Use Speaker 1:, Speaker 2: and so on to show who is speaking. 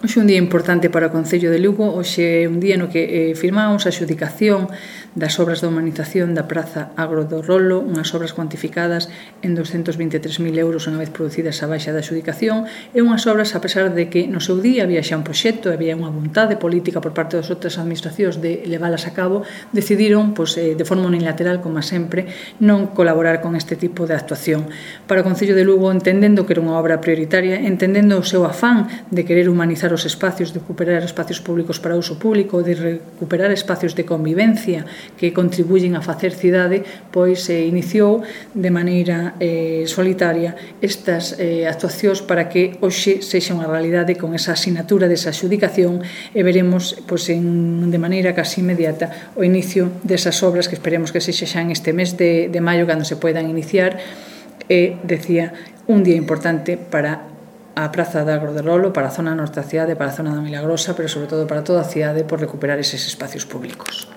Speaker 1: Hoxe é un día importante para o Concello de Lugo. Hoxe é un día no que firmamos a adxudicación das obras de humanización da Praza Agro do Rolo, unhas obras cuantificadas en 223.000 euros unha vez producidas a baixa da adxudicación, e unhas obras, a pesar de que no seu día había xa un proxecto, había unha vontade política por parte das outras administracións de leválas a cabo, decidiron, de forma unilateral, como sempre, non colaborar con este tipo de actuación. Para o Concello de Lugo, entendendo que era unha obra prioritaria, entendendo o seu afán de querer humanizar os espacios, de recuperar espacios públicos para uso público, de recuperar espacios de convivencia que contribuyen a facer cidade, pois iniciou de maneira solitaria estas actuacións para que hoxe sexa unha realidade con esa asinatura desa adxudicación, e veremos de maneira casi inmediata o inicio desas obras, que esperemos que sexa xa en este mes de maio cando se poidan iniciar. Decía, un día importante para a Praza de Agro do Rolo, para a zona norte da cidade, para a zona da Milagrosa, pero sobre todo para toda a cidade, por recuperar eses espacios públicos.